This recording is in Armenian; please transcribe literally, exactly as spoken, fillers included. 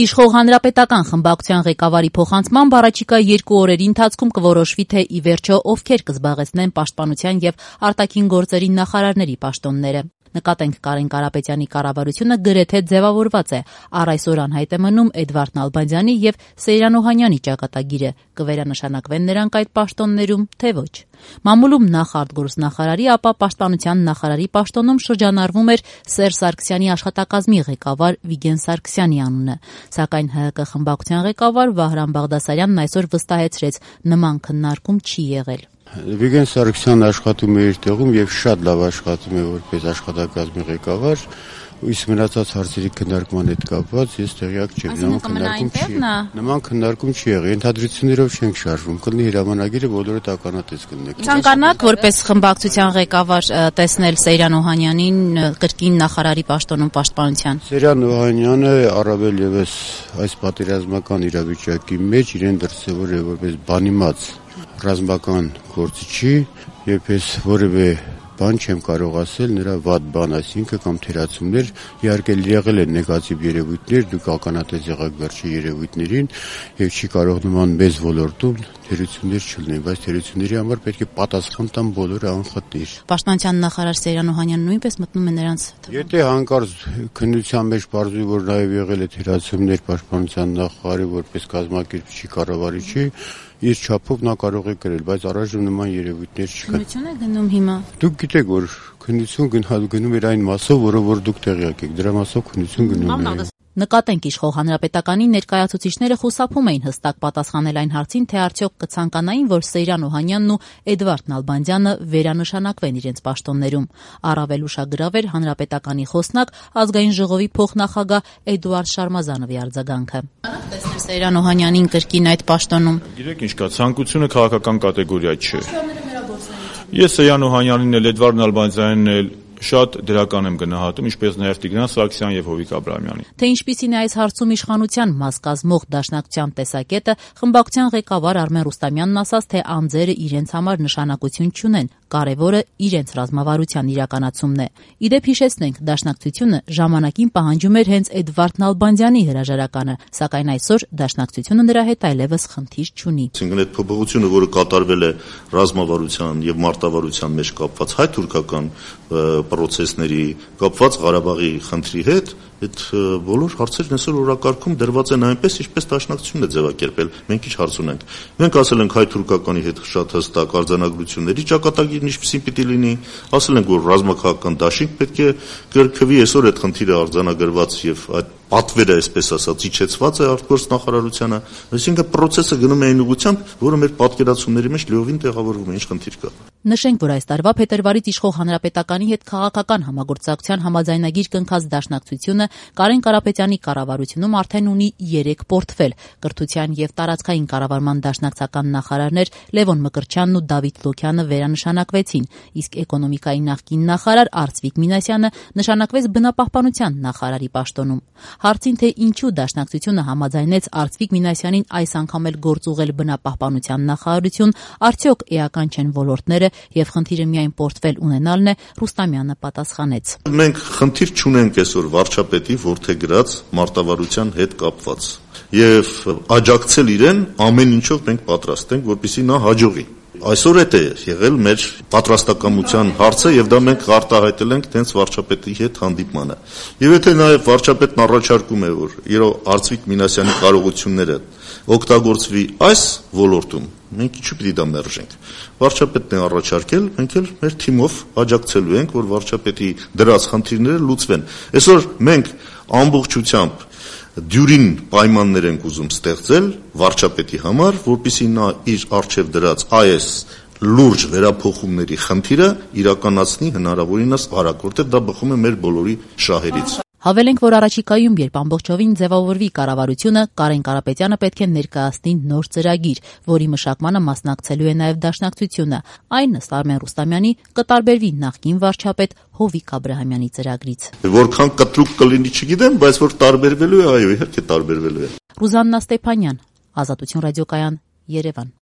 Իշխող հանրապետական խմբակցության ղեկավարի փոխանցմամբ առաջիկա երկու օրերի ընթացքում կորոշվի, թե ի վերջո ովքեր կզբաղեցնեն պաշտպանության եւ արտաքին գործերի նախարարների պաշտոնները։ Նկատենք Կարեն Կարապետյանի կառավարությունը գրեթե ձևավորված է, առ այսօր անհայտ է մնում Էդվարդ Նալբանդյանի եւ Սեյրան Օհանյանի ճակատագիրը, կվերանշանակվեն նրանք այդ պաշտոններում, թե ոչ։ Մամուլում նախ արտգործնախարարի, ապա պաշտպանության նախարարի պաշտոնում շրջանառվում էր Սերժ Սարգսյանի աշխատակազմի ղեկավար Վիգեն Սարգսյանի անունը, սակայն ՀՀԿ խմբակցության ղեկավար Վահրամ Բաղդասարյանն այսօր վստահեցրեց, նման քննարկում չի եղել։ Վիգեն Սարգսյանն աշխատում է իր տեղում եւ շատ լավ աշխատում է որպես աշխատակազմի ղեկավար, իսկ մնացած հարցերի քննարկման հետ կապված ես տեղյակ չեմ, նման քննարկում չի։ Նման քննարկում չի եղել, ենթադրություններով չենք շարժվում, կլինի հրամանագիրը բոլորը տականատես կլինեք։ Ցանկանաք որպես խմբակցության ղեկավար տեսնել Սեյրան Օհանյանին կրկին նախարարի պաշտոնում պաշտպանության։ Սեյրան Օհանյանը առավել եւս այս պատերազմական իրավիճակի մեջ իրեն դրսևորել է որպես բանիմաց ռազմական գործիչի, եւ ես որևէ բան չեմ կարող ասել նրա վատ բան, այսինքն կամ թերացումներ, իհարկե եղել են նեգատիվ երևույթներ, դուք ականատես եղաք վերջի երևույթներին եւ չի կարող նման մեծ ոլորտում թերություններ չլինեն, բայց թերությունների համար պետք է պատասխան տան բոլորը անխտիր։ Պաշտպանության նախարար Սեյրան Օհանյանը նույնպես մտնում է նրանց թվում։ Եթե հանկարծ քննության մեջ բարձրի որ նաեւ եղել է թերացումներ պաշտպանության նախարարի որպես կազմակերպչի կառավարիչի, իր չափով նա կարող է գրել, բայց առայժմ նման երևույթներ չկան։ Քննություն է գնում հիմա։ Դուք գիտեք, որ քննություն գնում էր այն մասով, որը որ դուք տեղյակ եք, դրա մասով քննություն գնում է։ Նկատենք իշխող հանրապետականի ներկայացուցիչները խուսափում էին հստակ պատասխանել այն հարցին, թե արդյոք կցանկանային, որ Սեյրան Օհանյանն ու Էդվարդ Նալբանդյանը վերանշանակվեն իրենց պաշտոններում։ Առավել ուշագրավ էր հանրապետականի խոսնակ ազգային ժողովի փոխնախագահ Էդուարդ Շարմազանովի արձագանքը։ Տեսնել Սեյրան Օհանյանին կրկին այդ պաշտոնում։ Գիտեք ինչ կա, ցանկությունը քաղաքական կատեգորիա չէ։ Ես Սեյրան Օհանյանին էլ Էդվարդ Նալբանդյանին էլ շատ դրական եմ գնահատում, ինչպես նաև Տիգրան Սարգսյան եւ Հովիկ Աբրահամյանին։ Թե ինչպիսին է այս հարցում իշխանության մաս կազմող դաշնակցության տեսակետը, խմբակցության ղեկավար Արմեն Ռուստամյանն ասաց, թե անձերը իրենց համար նշանակություն չունեն, կարևորը իրենց ռազմավարության իրականացումն է։ Իդեպ հիշեցնենք, դաշնակցությունը ժամանակին պահանջում էր հենց Էդվարդ Նալբանդյանի հրաժարականը, սակայն այսօր դաշնակցությունը նրա հետ այլևս խնդիր չունի։ Այսինքն այդ փոփոխությունը, որը կատարվել է ռազմավարության եւ մարտավարության մեջ կապված հայ-թուրքական պրոցեսների կապված Ղարաբաղի խնդրի հետ, այդ բոլոր հարցերն այսօր օրակարգում դրված են այնպես, ինչպես դաշնակցությունն է ձևակերպել։ Մենք ինչ հարց ունենք։ Մենք ասել ենք հայ-թուրքականի հետ շատ հստակ արձանագրությունների ճակատագիրն ինչպեսին պիտի լինի, ասել ենք, որ ռազմաքաղաքական դաշինք պետք է կրկվի, այսօր այդ խնդիրը արձանագրված եւ այդ պատվերը, այսպես ասած, իջեցված է արտգործնախարարությանը, այսինքն process-ը գնում է այն ուղղությամբ, որը մեր պատկերացումների մեջ լիովին տեղավորվում է, ինչ խնդիր կա։ Նշենք, որ այս տարվա փետրվարից իշխող հանրապետականի հետ քաղաքական համագործակցության համաձայնագիր կնքած դաշնակցությունը Կարեն Կարապետյանի կառավարությունում արդեն ունի երեք պորտֆել՝ կրթության եւ տարածքային կառավարման դաշնակցական նախարարներ Լևոն Մկրտչյանն ու Դավիթ Լոքյանը վերանշանակվեցին, իսկ էկոնոմիկայի նախկին նախարար Արծվիկ Մինասյանը նշանակվեց բնապահպանության նախարարի պաշտոնում։ Հարցին, թե ինչու դաշնակցությունը համաձայնեց Արծվիկ Մինասյանին այս անգամ էլ գործ ուղղել բնապահպանության նախարարություն, արդյոք էական չեն ոլորտները եւ խնդիրը միայն պորտֆել ունենալն է, Ռուստամյանը պատասխանեց։ Մենք խնդիր չունենք այսօր վարչապետի որդեգրած մարտավարության հետ կապված եւ աջակցել իրեն ամեն ինչով մենք պատրաստ ենք, որպեսզի նա հաջողի։ Այսօր էդ է եղել մեր պատրաստակամության հարցը եւ դա մենք արտահայտել ենք տենց վարչապետի հետ հանդիպմանը։ Եվ եթե նաեւ վարչապետն առաջարկում է, որ իր Արծվիկ Մինասյանի կարողությունները օգտագործվի այս ոլորտում, մենք ինչու՞ պիտի դա մերժենք։ Վարչապետն է առաջարկել, մենք էլ մեր թիմով աջակցելու ենք, որ վարչապետի դրած խնդիրները լուծվեն։ Այսօր մենք ամբողջությամբ դյուրին պայմաններ ենք ուզում ստեղծել վարչապետի համար, որպեսզի նա իր արժև դրած այս լուրջ վերափոխումների խնդիրը իրականացնի հնարավորինս արագ, որտեղ դա բխում է մեր բոլորի շահերից։ Հավելենք, որ առաջիկայում, երբ ամբողջովին ձևավորվի կառավարությունը, Կարեն Կարապետյանը պետք է ներկայացնի նոր ծրագիր, որի մշակմանը մասնակցելու է նաև դաշնակցությունը։ Այն, ըստ Արմեն Ռուստամյանի, կտարբերվի նախկին վարչապետ Հովիկ Աբրահամյանի ծրագրից։ Որքան կտրուկ կլինի, չգիտեմ, բայց որ տարբերվելու է, այո, իհարկե տարբերվելու է։ Ռուզաննա Ստեփանյան, Ազատություն ռադիոկայան, Երևան։